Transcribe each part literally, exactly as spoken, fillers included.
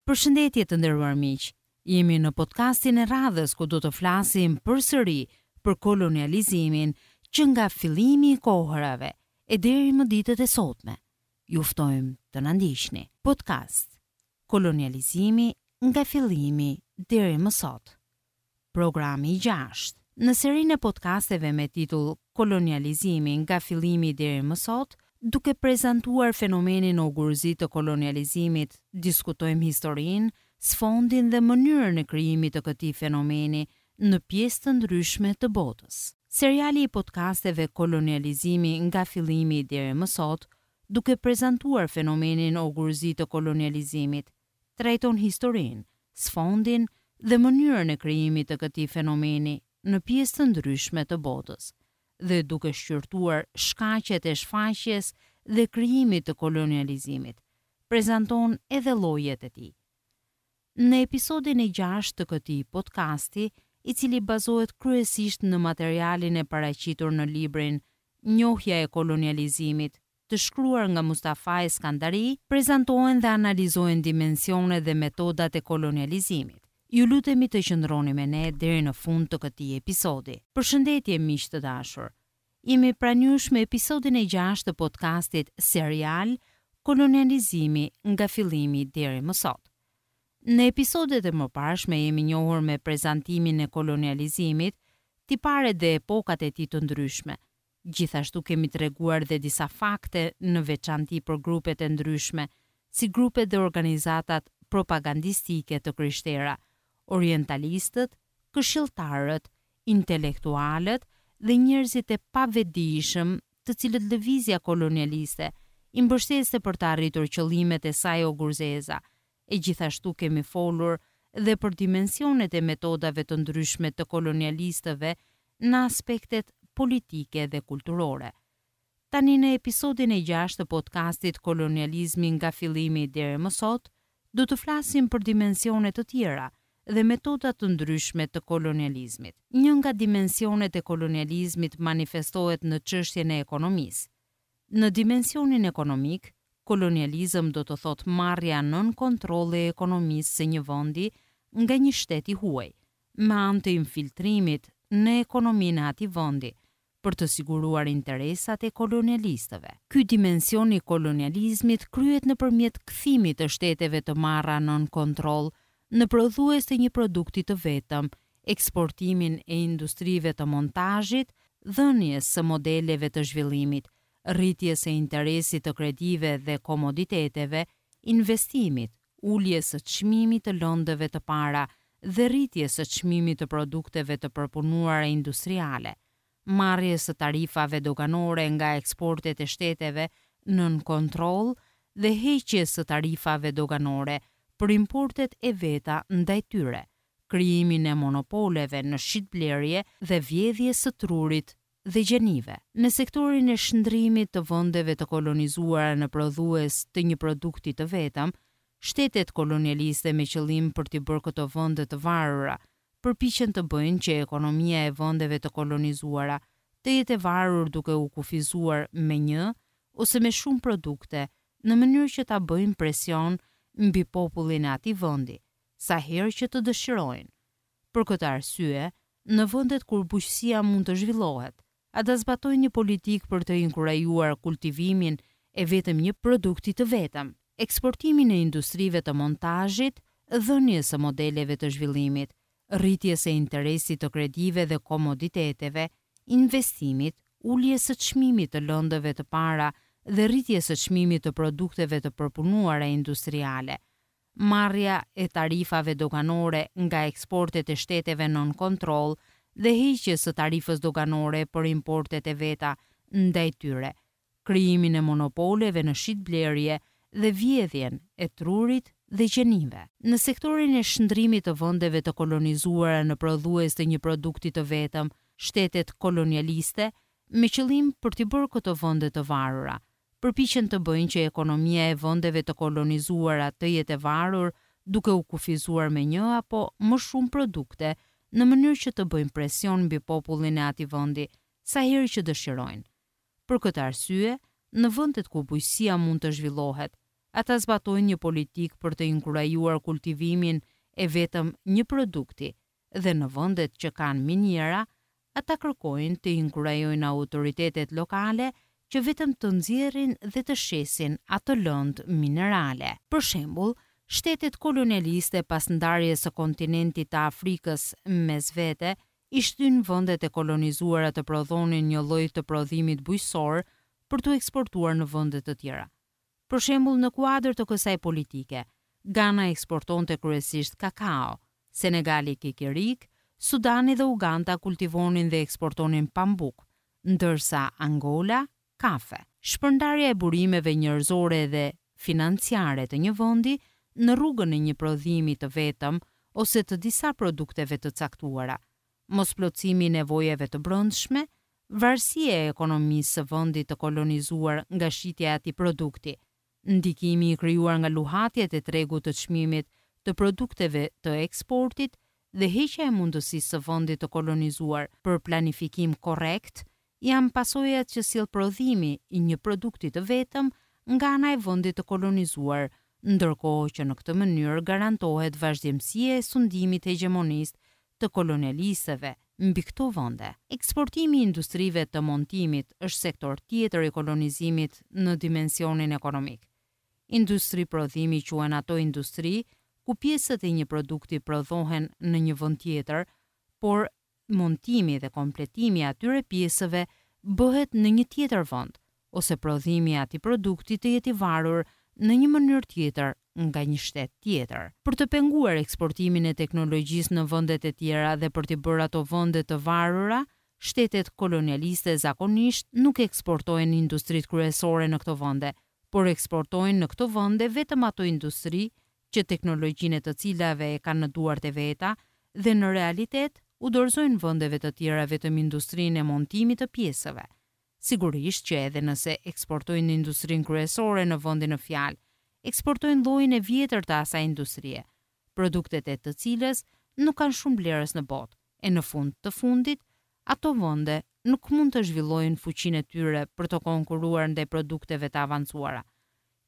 Përshëndetje të nderuar miq. Jemi në podcastin e radhës ku do të flasim përsëri për kolonializimin që nga fillimi i kohërave e deri më ditët e sotme. Ju ftojmë të na ndiqni. Podcast Kolonializimi nga fillimi deri më sot. Programi i gjashtë. Në serinë e podcasteve me titull Kolonializimi nga fillimi deri më sot, duke prezantuar fenomenin ogurzi të kolonializimit, diskutojmë historinë, sfondin dhe mënyrën e krijimit të këtij fenomeni në pjesë të ndryshme të botës. Seriali i podcasteve Kolonializimi nga fillimi deri më sot, duke prezantuar fenomenin ogurzi të kolonializimit, trajton historinë, sfondin dhe mënyrën e krijimit të këtij fenomeni në pjesë të ndryshme të botës dhe duke shqyrtuar shkaqet e shfaqjes dhe krijimit të kolonializimit, prezanton edhe llojet e tij. Në episodin e gjashtë të këtij podcasti, i cili bazohet kryesisht në materialin e paraqitur në librin Njohja e kolonializimit, të shkruar nga Mustafa Eskandari, prezantohen dhe analizohen dimensionet dhe metodat e kolonializimit. Ju lutemi të qëndroni me ne deri në fund të këtij episodi. Përshëndetje miq të dashur. Jemi pranë jush me episodin e gjashtë të podcastit serial Kolonializimi nga fillimi deri më sot. Në episodet e mëparshme jemi njohur me prezantimin e kolonializimit, tiparet dhe epokat e tij të ndryshme. Gjithashtu kemi treguar dhe disa fakte në veçanti për grupet e ndryshme, si grupet dhe organizatat propagandistike të krishtera, orientalistët, këshilltarët, intelektualët dhe njerëzit e pavetëdijshëm, të cilët lëvizja kolonialiste i mbështeste për të arritur qëllimet e saj ogurzeza. E gjithashtu kemi folur dhe për dimensionet e metodave të ndryshme të kolonialistëve në aspektet politike dhe kulturore. Tani në episodin e gjashtë të podcastit Kolonializmi nga fillimi deri më sot, do të flasim për dimensione të tjera dhe metoda të ndryshme të kolonializmit. Një nga dimensionet e kolonializmit manifestohet në çështjen e ekonomisë. Në dimensionin ekonomik, kolonializëm do të thotë marrja nën kontroll e ekonomisë së një vendi nga një shtet i huaj, me anë të infiltrimit në ekonominë e atij vendi, për të siguruar interesat e kolonialistëve. Ky dimension i kolonializmit kryhet nëpërmjet kthimit të shteteve të marra nën kontroll në prodhues të një produkti të vetëm, eksportimin e industrive të montazhit, dhënies së modeleve të zhvillimit, rritjes së interesit të kredive dhe komoditeteve, investimit, uljes së çmimit të lëndëve të para dhe rritjes së çmimit të produkteve të përpunuara industriale, marrjes së tarifave doganore nga eksportet e shteteve nën kontroll dhe heqjes së tarifave doganore për importet e veta ndaj tyre, krijimin e monopoleve në shitblerje dhe vjedhjes së trurit dhe gjenive. Në sektorin e shndrimit të vendeve të kolonizuara në prodhues të një produkti të vetëm, shtetet kolonialiste me qëllim për t'i bërë këto vende të varura, përpiqen të bëjnë që ekonomia e vendeve të kolonizuara të jetë e varur duke u kufizuar me një ose me shumë produkte, në mënyrë që ta bëjnë presion mbi popullin e atij vendi, sa herë që të dëshirojnë. Për këtë arsye, në vendet kur bujqësia mund të zhvillohet, ata zbatojnë një politikë për të inkurajuar kultivimin e vetëm një produkti të vetëm, eksportimin e industrive të montazhit, dhënies së modeleve të zhvillimit, rritjes së interesit të kredive dhe komoditeteve, investimit, uljes së çmimit të lëndëve të para dhe rritjes së çmimit të produkteve të përpunuara industriale, marrja e tarifave doganore nga eksportet e shteteve nën kontroll dhe heqjes së tarifës doganore për importet e veta ndaj tyre, krijimin e monopoleve në shitblerje dhe vjedhjen e trurit dhe gjenive. Në sektorin e shndrimit të vendeve të kolonizuara në prodhues të një produkti të vetëm, shtetet kolonialiste, me qëllim për t'i bërë këto vende të varura, përpiqen të bëjnë që ekonomia e vendeve të kolonizuara të jetë e varur duke u kufizuar me një apo më shumë produkte, në mënyrë që të bëjnë presion mbi popullin e atij vendi sa herë që dëshirojnë. Për këtë arsye, në vendet ku bujqësia mund të zhvillohet, ata zbatojnë një politikë për të inkurajuar kultivimin e vetëm një produkti dhe në vendet që kanë miniera, ata kërkojnë të inkurajojnë autoritetet lokale që vetëm të nxjerrin dhe të shesin atë lëndë minerale. Për shembull, shtetet kolonialiste pas ndarjes së kontinentit të Afrikës mes vete i shtyn vendet e kolonizuara të prodhonin një lloj të prodhimit bujqësor për t'u eksportuar në vende të tjera. Për shembull, në kuadër të kësaj politike, Gana eksportonte kryesisht kakao, Senegali kikirikë, Sudani dhe Uganda kultivonin dhe eksportonin pambuk, ndërsa Angola kafe. Shpërndarja e burimeve njerëzore dhe financiare të një vendi në rrugën e një prodhimi të vetëm ose të disa produkteve të caktuara, mosplotësimi i nevojave të brendshme, varësia e ekonomisë së vendit të kolonizuar nga shitja e atij produkti, ndikimi i krijuar nga luhatjet e tregut të çmimit të produkteve të eksportit dhe heqja e mundësisë së vendit të kolonizuar për planifikim korrekt janë pasojat që sjell prodhimi i një produkti të vetëm nga ana e vendit të kolonizuar, ndërkohë që në këtë mënyrë garantohet vazhdimësia e sundimit hegjemonist të kolonialistëve mbi këto vende. Eksportimi i industrive të montimit është sektor tjetër i kolonizimit në dimensionin ekonomik. Industri prodhimi quhen ato industri ku pjesët e një produkti prodhohen në një vend tjetër, por montimi dhe kompletimi i atyre pjesëve bëhet në një tjetër vend, ose prodhimi i atij produkti të jetë i varur në një mënyrë tjetër nga një shtet tjetër. Për të penguar eksportimin e teknologjisë në vendet e tjera dhe për t'i bërë ato vende të varura, shtetet kolonialiste zakonisht nuk eksportojnë industritë kryesore në këto vende, por eksportojnë në këto vende vetëm ato industri që teknologjinë e të cilave e kanë në duart e veta dhe në realitet u dorëzojnë vendeve të tjera vetëm industrinë e montimit të pjesëve. Sigurisht që edhe nëse eksportojnë industrinë kryesore në vendin në fjalë, eksportojnë llojin e vjetër të asaj industrie, produktet e të cilës nuk kanë shumë blerës në botë, e në fund të fundit, ato vende nuk mund të zhvillojnë fuqinë e tyre për të konkurruar ndaj produkteve të avancuara.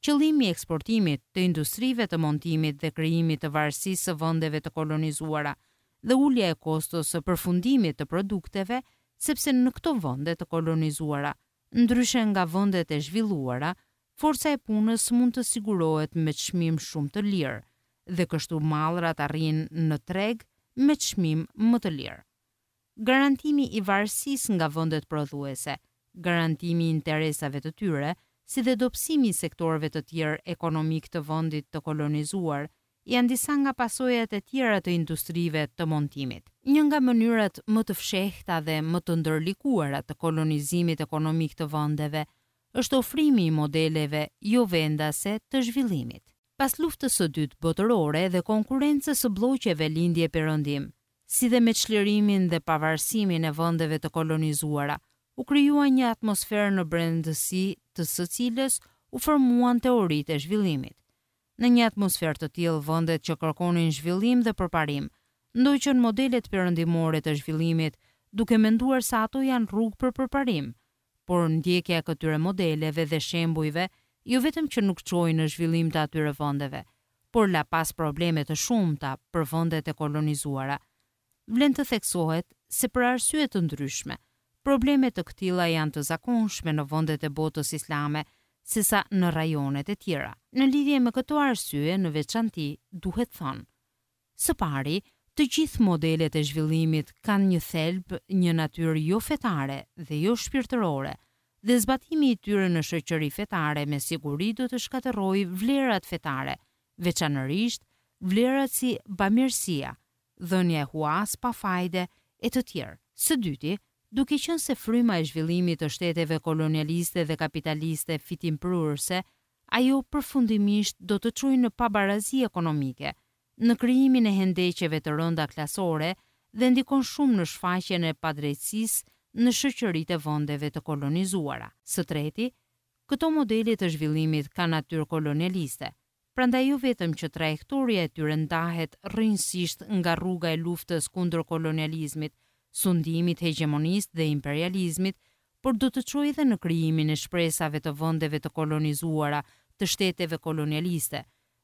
Qëllimi i eksportimit të industrive të montimit dhe krijimit të varësisë së vendeve të kolonizuara dhe ulja e kostos së përfundimit të produkteve, sepse në këto vende të kolonizuara, ndryshe nga vendet e zhvilluara, forca e punës mund të sigurohet me çmim shumë të lirë dhe kështu mallrat arrijnë në treg me çmim më të lirë. Garantimi i varësisë nga vendet prodhuese, garantimi i interesave të tyre, si dhe dobësimi i sektorëve të tjerë ekonomik të vendit të kolonizuar, janë disa nga pasojat e tjera të industrive të montimit. Një nga mënyrat më të fshehta dhe më të ndërlikuara të kolonizimit ekonomik të vendeve është ofrimi i modeleve jo vendase të zhvillimit. Pas luftës së dytë botërore dhe konkurrencës së blloqeve lindje-perëndim, si dhe me çlirimin dhe pavarësimin e vendeve të kolonizuara, u krijua një atmosferë në brendësi të së cilës u formuan teoritë e zhvillimit. Në një atmosferë të tillë, vendet që kërkonin zhvillim dhe përparim ndoqën modelet perëndimore të zhvillimit, duke menduar se ato janë rrugë për përparim, por ndjekja e këtyre modeleve dhe shembujve jo vetëm që nuk çoi në zhvillim të atyre vendeve, por la pas probleme të shumta për vendet e kolonizuara. Vlen të theksohet se për arsye të ndryshme, probleme të këtilla janë të zakonshme në vendet e botës islame, sesa në rajonet e tjera. Në lidhje me këto arsye, në veçanti, duhet thënë: së pari, të gjithë modelet e zhvillimit kanë një thelb, një natyrë jo fetare dhe jo shpirtërore, dhe zbatimi i tyre në shoqëri fetare me siguri do të shkatërrojë vlerat fetare, veçanërisht vlerat si bamirësia, dhënia e huas pa fajde e të tjerë. Së dyti, duke qenë se fryma e zhvillimit të shteteve kolonialiste dhe kapitaliste fitimprurëse, ajo përfundimisht do të çojë në pabarazi ekonomike, në krijimin e hendeqeve të rënda klasore dhe ndikon shumë në shfaqjen e padrejtësisë në shoqëritë e vendeve të kolonizuara. Së treti, këto modele të zhvillimit kanë natyrë kolonialiste, prandaj jo vetëm që trajektoria e tyre ndahet rrënjësisht nga rruga e luftës kundër kolonializmit, sundimit hegjemonist dhe imperializmit, por do të çojë edhe në krijimin e shpresave të vendeve të kolonizuara të shteteve kolonialiste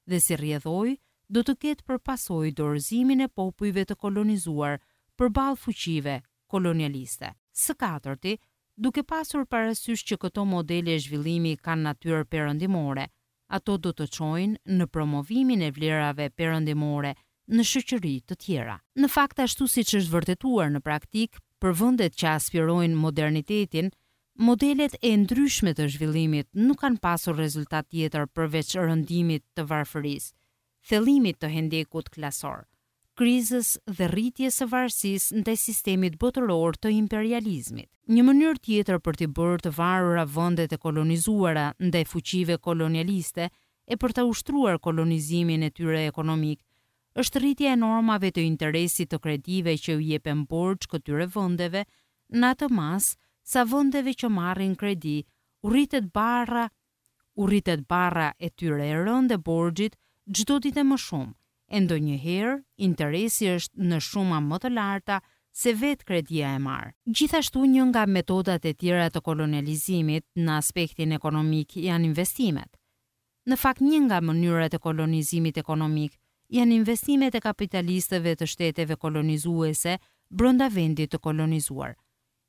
dhe si rrjedhojë do të ketë për pasojë dorëzimin e popujve të kolonizuar përballë fuqive kolonialiste. Së katërti, duke pasur parasysh që këto modele zhvillimi kanë natyrë perëndimore, ato do të çojnë në promovimin e vlerave perëndimore në shoqëri të tjera. Në fakt, ashtu siç është vërtetuar në praktikë, për vendet që aspirojnë modernitetin, modelet e ndryshme të zhvillimit nuk kanë pasur rezultat tjetër përveç rëndimit të varfërisë, thellimit të hendekut klasor, krizës dhe rritjes së varësisë ndaj sistemit botëror të imperializmit. Një mënyrë tjetër për t'i bërë të varura vendet e kolonizuara ndaj fuqive kolonialiste e për ta ushtruar kolonizimin e tyre ekonomik është rritja e normave të interesit të kredive që u jepen borxh këtyre vendeve në atë masë sa vendeve që marrin kredi u rritet barra u rritet barra e tyre e rëndë e borxhit çdo ditë e më shumë, e ndonjëherë interesi është në shuma më të larta se vetë kredia e marrë. Gjithashtu një nga metodat e tjera të kolonializimit në aspektin ekonomik janë investimet. Në fakt, një nga mënyrat e kolonizimit ekonomik janë investimet e kapitalistëve të shteteve kolonizuese brenda vendit të kolonizuar.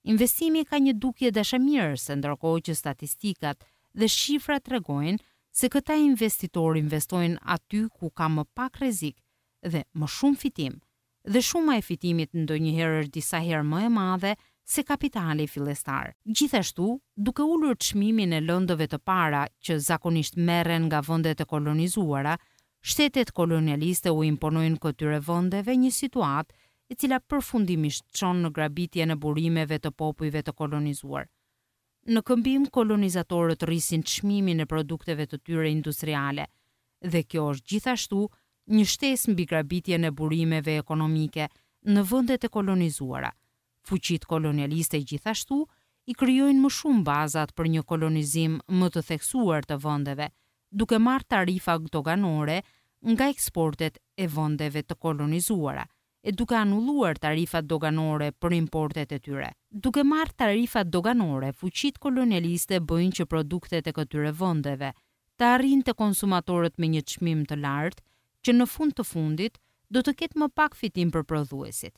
Investimi ka një dukje dashamirëse, ndërkohë që statistikat dhe shifrat tregojnë se këta investitorë investojnë aty ku ka më pak rrezik dhe më shumë fitim, dhe shuma e fitimit ndonjëherë është disa herë më e madhe se kapitali fillestar. Gjithashtu, duke ulur çmimin e lëndëve të para që zakonisht merren nga vendet e kolonizuara, shtetet kolonialiste u imponojnë këtyre vendeve një situatë e cila përfundimisht çon në grabitjen e burimeve të popujve të kolonizuar. Në këmbim, kolonizatorët rrisin çmimin e produkteve të tyre industriale dhe kjo është gjithashtu një shtesë mbi grabitjen e burimeve ekonomike në vendet e kolonizuara. Fuqitë kolonialiste gjithashtu i krijojnë më shumë bazat për një kolonizim më të theksuar të vendeve, duke marrë tarifa doganore nga eksportet e vendeve të kolonizuara e duke anulluar tarifat doganore për importet e tyre. Duke marrë tarifat doganore, fuqitë kolonialiste bëjnë që produktet e këtyre vendeve të arrijnë te konsumatorët me një çmim të lartë, që në fund të fundit do të ketë më pak fitim për prodhuesit.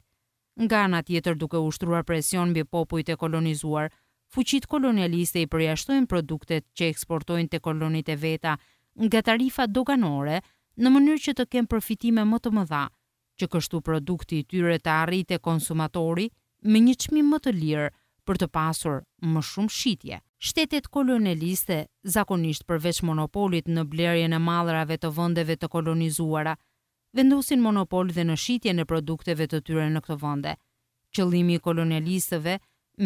Nga ana tjetër, duke ushtruar presion mbi popujt e kolonizuar, fuqitë kolonialiste i përjashtojnë produktet që eksportojnë te kolonitë e veta nga tarifat doganore në mënyrë që të kenë përfitime më të mëdha, që kështu produkti i tyre të arrijë te konsumatori me një çmim më të lirë për të pasur më shumë shitje. Shtetet kolonialiste, zakonisht përveç monopolit në blerjen e mallrave të vendeve të kolonizuara, vendosin monopol dhe në shitjen e produkteve të tyre në këto vende. Qëllimi i kolonialistëve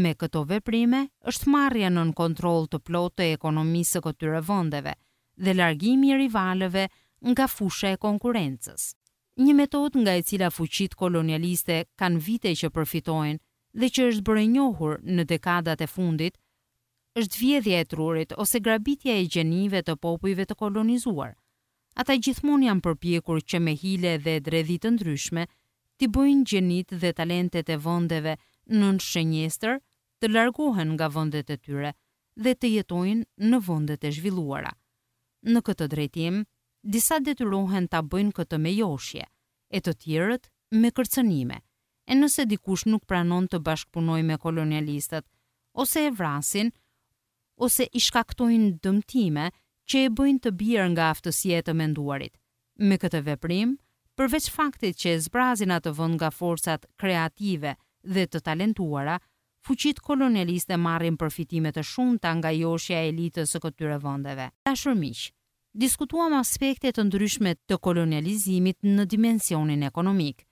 me këto veprime është marrja nën kontroll të plotë të ekonomisë së këtyre vendeve dhe largimi i rivalëve nga fusha e konkurrencës. Një metodë nga e cila fuqitë kolonialiste kanë vite që përfitojnë dhe që është bërë e njohur në dekadat e fundit, është vjedhja e trurit ose grabitja e gjenive të popujve të kolonizuar. Ata gjithmonë janë përpjekur që me hile dhe dredhi të ndryshme t'i bëjnë gjenitë dhe talentet e vendeve nën shënjestër të largohen nga vendet e tyre dhe të jetojnë në vendet e zhvilluara. Në këtë drejtim, disa detyrohen ta bëjnë këtë me joshje, e të tjerët me kërcënime. E nëse dikush nuk pranon të bashkëpunojë me kolonialistët, ose e vrasin, ose i shkaktojnë dëmtime që e bëjnë të bjerë nga aftësia e të menduarit. Me këtë veprim, përveç faktit që e zbrazin atë vend nga forcat kreative dhe të talentuara, fuqitë kolonialiste marrin përfitime të shumta nga joshja e elitës së këtyre vendeve. Dashur miq, diskutuam aspekte të ndryshme të kolonializimit në dimensionin ekonomik,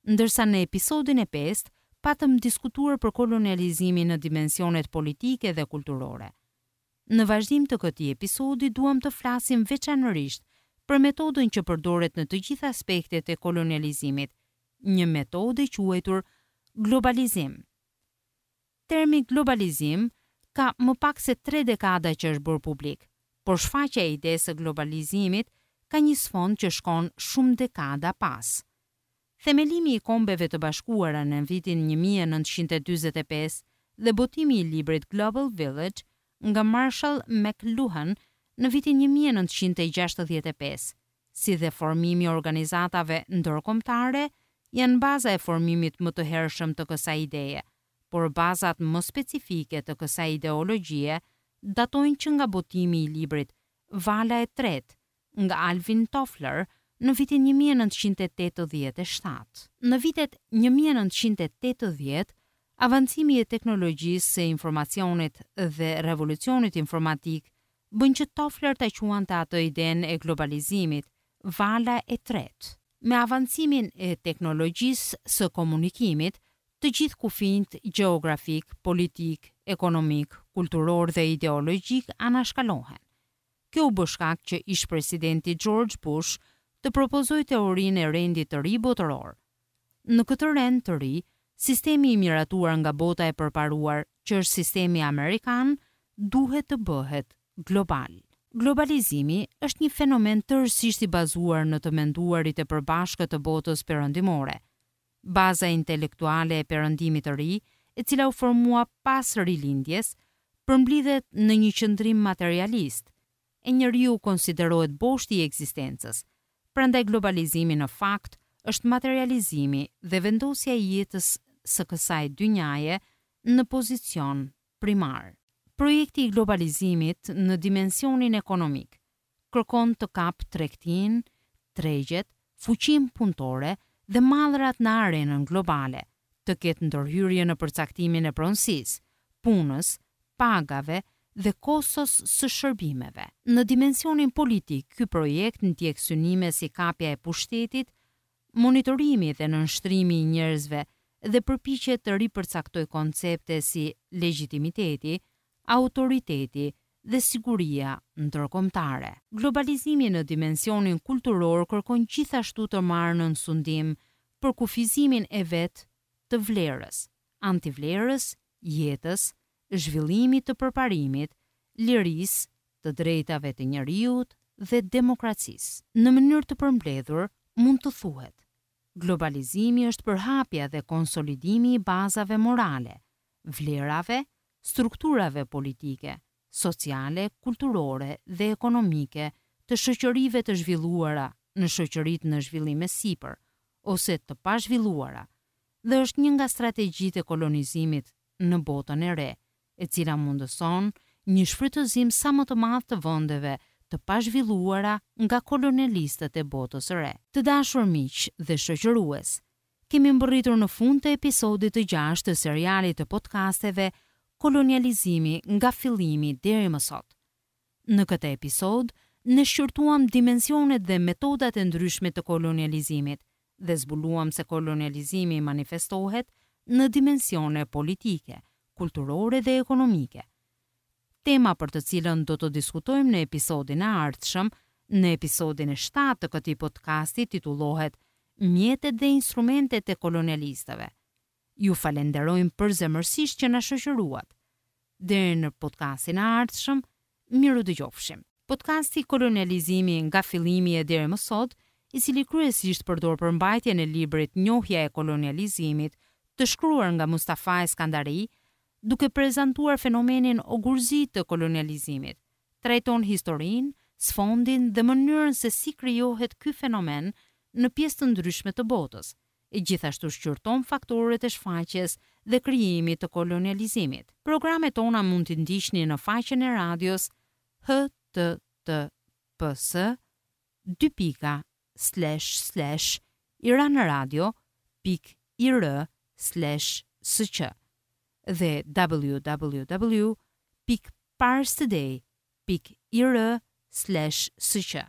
ndërsa në episodin e pestë patëm diskutuar për kolonializimin në dimensionet politike dhe kulturore. Në vazhdim të këtij episodi duam të flasim veçanërisht për metodën që përdoret në të gjitha aspektet e kolonializimit, një metodë e quajtur globalizim. Termi globalizim ka më pak se tre dekada që është bërë publik, por shfaqja e idesë së globalizimit ka një sfond që shkon shumë dekada pas. Themelimi i Kombeve të Bashkuara në vitin një mijë e nëntëqind e dyzet e pesë dhe botimi i librit Global Village nga Marshall McLuhan në vitin një mijë e nëntëqind e gjashtëdhjetë e pesë, si dhe formimi i organizatave ndërkombëtare janë baza e formimit më të hershëm të kësaj ideje, por bazat më specifike të kësaj ideologjie datojnë që nga botimi i librit Vala e tretë nga Alvin Toffler në vitin një mijë e nëntëqind e tetëdhjetë e shtatë. Në vitet një mijë e nëntëqind e tetëdhjetë, avancimi i teknologjisë së informacionit dhe revolucionit informatik bën që Toffler ta quante atë idenë e globalizimit vala e tretë. Me avancimin e teknologjisë së komunikimit, të gjithë kufinjt gjeografik, politik, ekonomik, kulturor dhe ideologjik anashkalohen. Kjo u bë shkak që ish presidenti George Bush të propozojë teorinë e rendit të ri botëror. Në këtë rend të ri, sistemi i miratuar nga bota e përparuar, që është sistemi amerikan, duhet të bëhet global. Globalizimi është një fenomen tërësisht i bazuar në të menduarit e përbashkët të botës perëndimore. Baza intelektuale e perëndimit të ri, e cila u formua pas rilindjes, përmblidhet në një qendrim materialist, e njeriu konsiderohet boshti i ekzistencës. Prandaj globalizimi në fakt është materializimi dhe vendosja e jetës së kësaj dynjaje në pozicion primar. Projekti i globalizimit në dimensionin ekonomik kërkon të kap tregtinë, tregjet, fuqinë punëtore dhe mallrat në arenën globale, të ketë ndërhyrje në përcaktimin e pronësisë, punës, pagave dhe kostos së shërbimeve. Në dimensionin politik, ky projekt ndjek synime si kapja e pushtetit, monitorimi dhe nënshtrimi i njerëzve dhe përpiqet të ripërcaktojë koncepte si legjitimiteti, autoriteti dhe siguria ndërkombëtare. Globalizimi në dimensionin kulturor kërkon gjithashtu të marrë nën sundim për kufizimin e vet të vlerës, antivlerës, jetës, zhvillimit të përparimit, lirisë, të drejtave të njeriut dhe demokracisë. Në mënyrë të përmbledhur, mund të thuhet, globalizimi është përhapja dhe konsolidimi i bazave morale, vlerave, strukturave politike, sociale, kulturore dhe ekonomike të shoqërive të zhvilluara në shoqëritë në zhvillim e sipër ose të pazhvilluara, dhe është një nga strategjitë e kolonizimit në botën e re, e cila mundëson një shfrytëzim sa më të madh të vendeve të pazhvilluara nga kolonialistët e botës së re. Të dashur miq dhe shoqërues, kemi mbërritur në fund të episodit të gjashtë të serialit të podcasteve Kolonializimi nga fillimi deri më sot. Në këtë episod, ne shqyrtuam dimensionet dhe metodat e ndryshme të kolonializimit dhe zbuluam se kolonializimi manifestohet në dimensione politike, kulturore dhe ekonomike. Tema për të cilën do të diskutojmë në episodin e ardhshëm, në episodin e shtatë të këtij podcasti titullohet Mjetet dhe instrumentet e kolonialistëve. Ju falenderojmë përzemërsisht që na shoqëruat. Deri në podcastin e ardhshëm, miru dëgjofshim. Podcasti Kolonializimi nga fillimi e deri më sot, i cili kryesisht përdor përmbajtjen e librit Njohja e kolonializimit, të shkruar nga Mustafa Eskandari, duke prezantuar fenomenin ogurzi të kolonializimit, trajton historinë, sfondin dhe mënyrën se si krijohet ky fenomen në pjesë të ndryshme të botës, e gjithashtu shqyrton faktorët e shfaqjes dhe krijimit të kolonializimit. Programet tona mund t'i ndiqni në faqen e radios H T T P S dy pika slash slash iranradio pik i r slash s q dhe w w w pik parstoday pik i r slash s q.